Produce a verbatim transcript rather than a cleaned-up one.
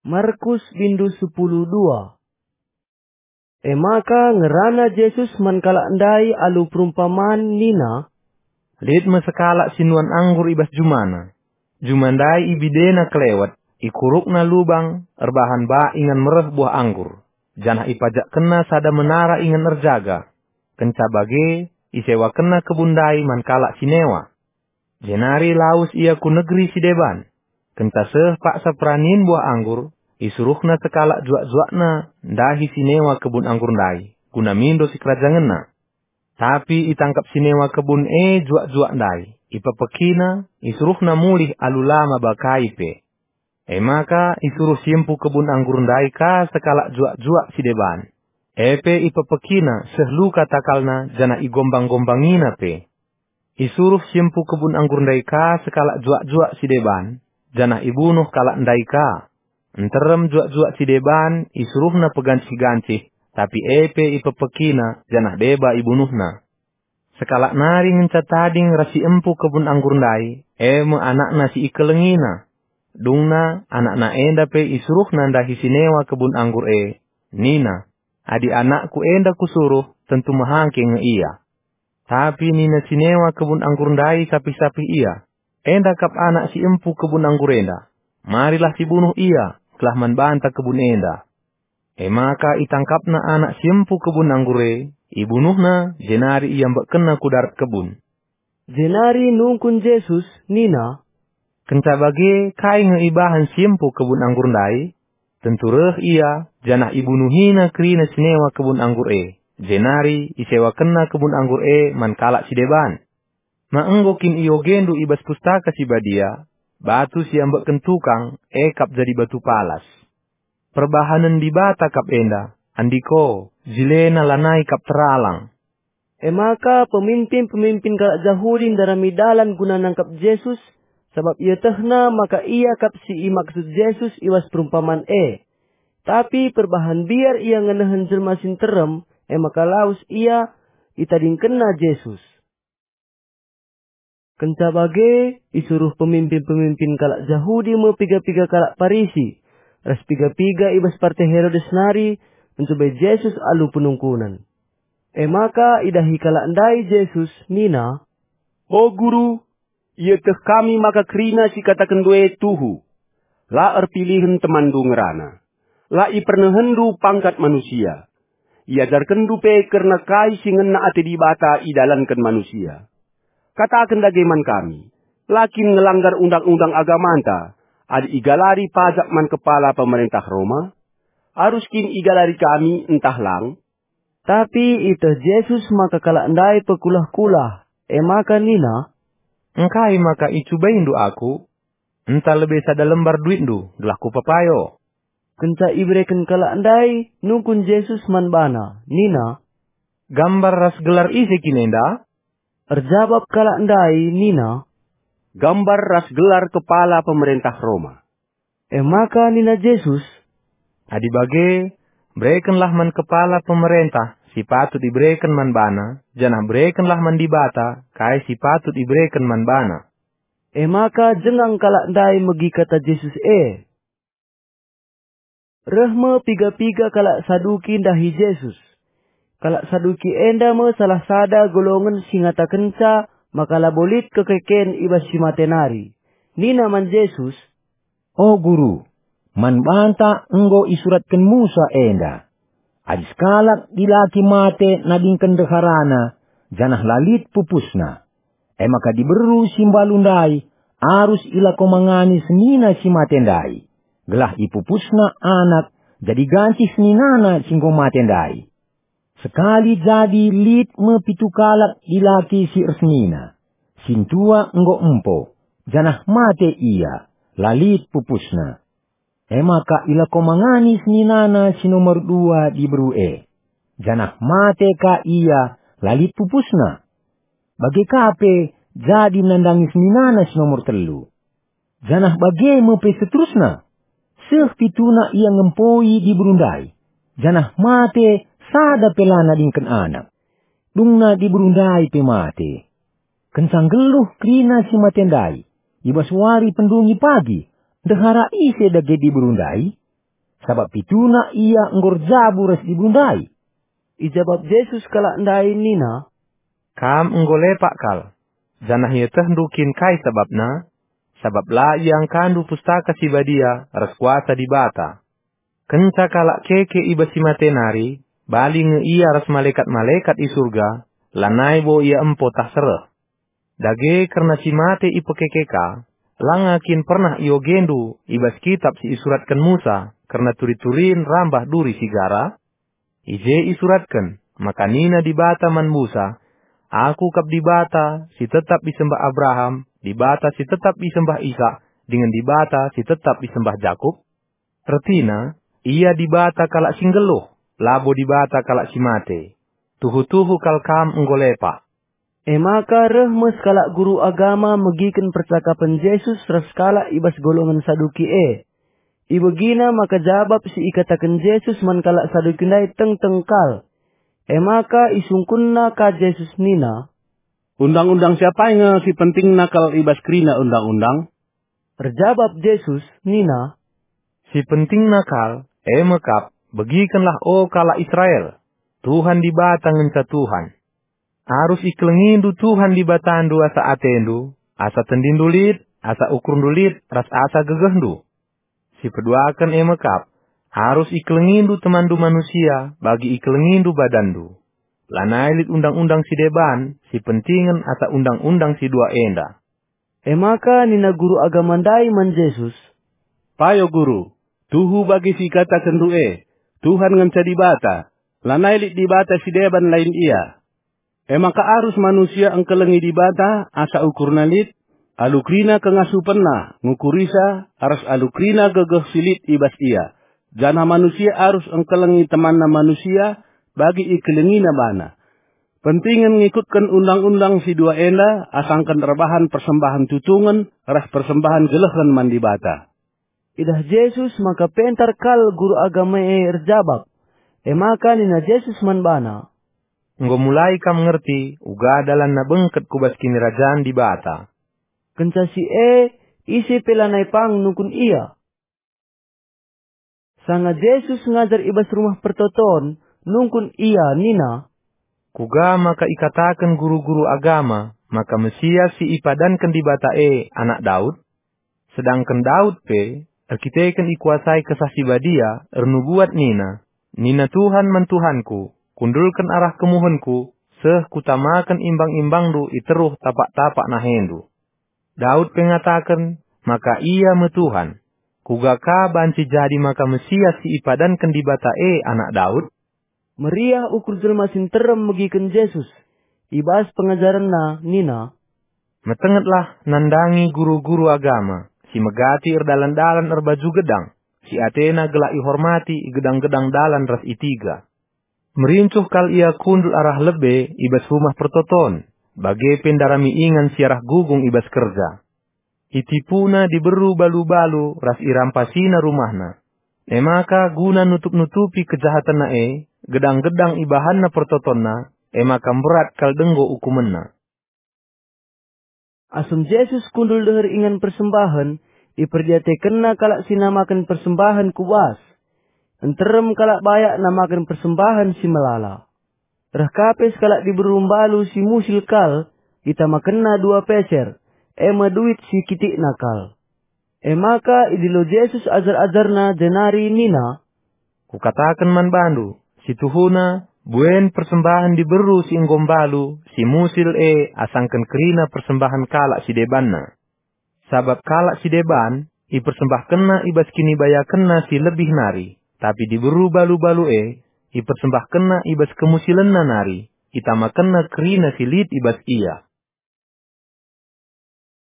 Markus bindu sepuluh dua. E maka ngerana Jesus man kalak ndai alu perumpaman nina, "Lit me sekalak si nuan anggur i bas jumana. Juma ndai ibidena kelewet, ikurukna lubang erbahan bak ingan mereh buah anggur, janah ipajakkenna sada menara ingan erjaga. Kenca bage, isewakenna kebun ndai man kalak si newa. Jenari lawes ia ku negeri si deban. Kenca seh paksa peranin buah anggur, isuruhna sekalak juak-juakna ndahi si newa kebun anggur ndai, guna mindo sikerajangenna. Tapi itangkap si newa kebun e juak-juak ndai, ipepekina, isuruhna mulih alu la maba kai pe. E maka isuruh si empu kebun anggur ndai ka sekalak juak-juak si deban. E pe ipepekina seh luka takalna janah igombang-gombangina pe. Isuruh si empu kebun anggur ndai ka sekalak juak-juak si deban, janah ibunuh kalak ndai ka. Nterem juak-juak si deban isuruhna pegancih-gancih, tapi e pe ipepekina janah deba ibunuhna. Sekalak nari ngenca tading ras si empu kebun anggur ndai, e me anakna si ikelengina. Dungna anakna enda pe isuruhna ndahi si newa kebun anggur e, nina, 'Adi anakku enda kusuruh, tentu mehangke nge ia.' Tapi nina si newa kebun anggur ndai sapih-sapih ia, 'Enda kap anak si empu kebun anggur enda. Marilah sibunuh ia, gelah man banta kebun enda.' E maka itangkapna anak si empu kebun anggur e, ibunuhna, jenari iambekkenna ku darat kebun." Jenari nungkun Jesus nina, "Kenca bage kai nge ibahan si empu kebun anggur ndai? Tentu reh ia, janah ibunuhina kerina si newa kebun anggur e, jenari isewakenna kebun anggur e man kalak si deban. Ma enggo kin iogendu i bas Pustaka Si Badia, 'Batu si iambekken tukang, e kap jadi batu palas'? Perbahanen Dibata kap enda, andiko, jilena lanai kap teralang." E maka peminpin-peminpin kalak Jahudi ndarami dalan guna nangkap Jesus, sabap ietehna maka ia kap si imaksud Jesus i bas perumpaman e. Tapi perbahan mbiar ia ngenehen jelma si nterem, e maka lawes ia, itadingkenna Jesus. Kenca bage, isuruh peminpin-peminpin kalak Jahudi me piga-piga kalak Parisi, ras piga-piga i bas parte Herodes nari, ncubai Jesus alu penungkunen. E maka idahi kalak ndai Jesus nina, "O Guru, ieteh kami maka kerina si ikatakenndu e tuhu. La erpilihen temanndu ngerana. La ipernehenndu pangkat manusia. Iajarkenndu pe kerna kai si ngena ate Dibata idalanken manusia. Kataken dage man kami, la kin ngelanggar undang-undang agamanta, adi igalari pajak man kepala pemerentah Roma? Arus kin igalari kami ntah lang?" Tapi ieteh Jesus maka kalak ndai pekulah-kulah, e maka nina, "Engkai maka icubaindu Aku? Enta lebe sada lembar duitndu, gelah kupapayo." Kenca ibereken kalak ndai, nungkun Jesus man bana, nina, "Gambar ras gelar ise kin enda?" Erjabap kalak ndai nina, "Gambar ras gelar kepala pemerentah Roma." E maka nina Jesus, "Adi bage, berekenlah man kepala pemerentah si patut ibereken man bana, janah berekenlah man Dibata kai si patut ibereken man bana." E maka jengang kalak ndai megi kata Jesus e. Reh me piga-piga kalak Saduki ndahi Jesus. Kalak Saduki enda me salah sada golongen si ngatakenca maka labo lit kekeken i bas si mate nari. Nina man Jesus, "O Guru, man banta enggo isuratken Musa enda, 'Adi sekalak dilaki mate nadingken ndeharana, janah la lit pupusna, e maka diberu si mbalu ndai arus ilakomangani senina si mate ndai, gelah ipupusna anak jadi gancih seninana si enggo mate ndai.' Sekali jadi lit me pitu kalak dilaki si ersenina. Sintua enggo empo, janah mate ia, la lit pupusna. E maka ilakomangani seninana si nomor dua diberu e, janah mate ka ia, la lit pupusna. Bage ka pe jadi nandangi seninana si nomor telu. Janah bage me pe seterusna. Seh pituna ia ngempoi diberu ndai, janah mate sada pe la nadingken anak. Dungna diberu ndai pe mate. Kenca nggeluh kerina si mate ndai, i bas wari pendungi pagi, ndehara ise dage diberu ndai? sabap pituna ia enggo erjabu ras dibu ndai." Ijabap Jesus kalak ndai nina, "Kam enggo lepak kal, janah ietehndu kin kai sabapna? Sabap la iangkandu Pustaka Si Badia ras kuasa Dibata. Kenca kalak keke i bas si mate nari, bali nge ia ras malekat-malekat i Surga, lanai bo ia empo tah sereh. Dage kerna si mate ipekeke ka, langa kin pernah iogendu i bas kitap si isuratken Musa kerna turi-turin rambah duri si gara? I je isuratken maka nina Dibata man Musa, 'Aku kap Dibata si tetap isembah Abraham, Dibata si tetap isembah Isak, dingen Dibata si tetap isembah Jakup.' Ertina, Ia Dibata kalak si nggeluh, labo Dibata kalak si mate. Tuhu-tuhu kal kam enggo lepak." E maka reh me sekalak guru agama megiken percakapen Jesus ras kalak i bas golongen Saduki e. Ibegina maka jabap si ikataken Jesus man kalak Saduki ndai tengteng kal. E maka isungkunna ka Jesus nina, "Undang-undang si apai nge si pentingna kal i bas kerina undang-undang?" Erjabap Jesus nina, "Si pentingna kal, e me kap, 'Begikenlah, o kalak Israel, Tuhan Dibata ngenca Tuhan. Arus ikelengindu Tuhan Dibatandu asa atendu, asa tendindu lit, asa ukurndu lit, ras asa gegehndu.' Si peduaken e me kap, 'Arus ikelengindu temanndu manusia bagi ikelengindu badanndu.' Lanai lit undang-undang si deban si pentingen asa undang-undang si dua enda." E maka nina guru agama ndai man Jesus, "Payo Guru, tuhu bagi si ikatakenndu e, Tuhan ngenca Dibata, lanai lit Dibata si deban lain Ia. E maka arus manusia engkelengi Dibata asa ukurna lit, alu kerina kengasupenna ngukurisa, ras alu kerina gegeh si lit i bas ia, janah manusia arus engkelengi temanna manusia bagi ikelengina bana. Pentingen ngikutken undang-undang si dua enda asangken erbahan persembahen tutungen ras persembahen gelehen man Dibata." Idah Jesus maka pentar kal guru agama e erjabap. E maka nina Jesus man bana, "Enggo mulai kam ngerti uga dalanna bengket ku bas Kinirajan Dibata." Kenca si e, ise pe lanai pang nungkun ia. Sanga Jesus ngajar i bas Rumah Pertoton, nungkun ia nina, "Kuga maka ikataken guru-guru agama maka Mesias si ipadanken Dibata e anak Daud? Sedangken Daud pe, erkiteken ikuasai Kesah Si Badia, ernubuat nina, 'Nina Tuhan man Tuhanku, kundulken arah kemuhenku, seh kutamaken imbang-imbangndu i teruh tapak-tapak nahendu.' Daud pe ngataken maka Ia me Tuhan. Kuga ka banci jadi maka Mesias si ipadanken Dibata e anak Daud?" Meriah ukur jelma si nterem megiken Jesus. I bas pengajarenNa nina, "Metengetlah nandangi guru-guru agama si megati erdalan-dalan erbaju gedang, si atena gelah ihormati i gedang-gedang dalan ras i tiga. Merincuh kal ia kundul arah lebe i bas Rumah Pertoton, bage pe ndarami ingan si arah gugung i bas kerja. Itipuna diberu balu-balu ras irampasina rumahna. E maka guna nutup-nutupi kejahatenna e, gedang-gedang ibahanna pertotonna, e maka mberat kal denggo ukumenna." Asum Jesus kundul deher ingan persembahen, iperdiatekenNa kalak si namaken persembahen ku bas. Nterem kalak bayak namaken persembahen si melala. Reh ka pe sekalak diberu mbalu si musil kal, itamakenna dua peser, e me duit si kitikna kal. E maka idilo Jesus ajar-ajarNa jenari nina, "Kukataken man bandu, si tuhuna, buen persembahen diberu si enggo mbalu, si musil e asangken kerina persembahen kalak si debanna. Sabap kalak si deban ipersembahkenna i bas kinibayakenna si lebih nari, tapi diberu balu-balu e ipersembahkenna i bas kemusilenna nari, itamakenna kerina si lit i bas ia."